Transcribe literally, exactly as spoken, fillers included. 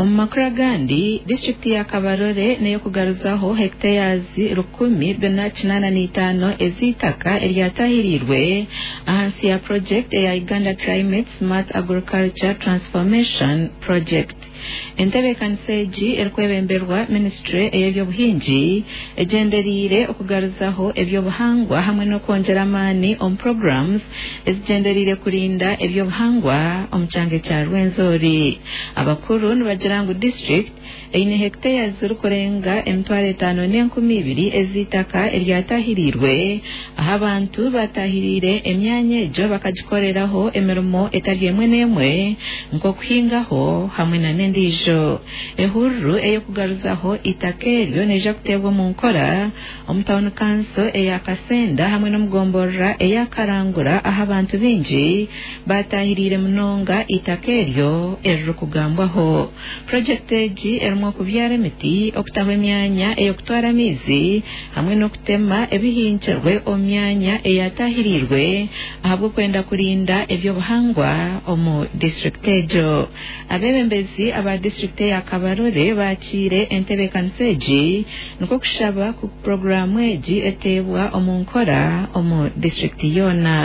Omu makuru agandi, disiturikiti ya Kabarole n'ey'okugaruzaho hectares rukumi bina kinaana n'itaano ez'eitaka eryatahiriirwe ahansi ya project eya Uganda Climate Smart Agriculture Transformation Project. Entebeekanisa egi erikwebemberwa minisitule ey'ebyobuhingi egyendereire okugaruzaho ebyobuhangwa hamwe n'okwongyera amaani omu programs ezigyendereire kurinda ebyobuhangwa omu kyanga kya Rwenzori. Abakuru nibagira ngu district eine hectares zirikurenga emitwaro etaano n'enkumi ibiri ez'eitaka eryatahiriirwe ahu abantu batahiriire emyanya egyo bakagikoreraho emirimo etari emwe n'emwe nk'okuhingaho hamwe na n'endiijo. Ehururu ey'okugaruzaho eitaka eryo neija kuteebwa omu nkora omu tawuni kanso eya Kasenda hamwe n'omugomborora eya Karangura ahu abantu baingi batahiriire munonga eitaka eryo eririkugambwaho. Purojekiti egi erimu okubyara emiti, okutaho emyanya ey'okutwara amaizi hamwe n'okutema ebihingirwe omu myanya eyatahiriirwe ahabw'okwenda kurinda ebyobuhangwa omu disiturikiti egyo. Abeebembezi aba disiturikiti eya Kabarole baakiire entebeekanisa egi nikwo kushaba ku puroguraamu egi eteebwa omu nkora omu disiturikiti yoona.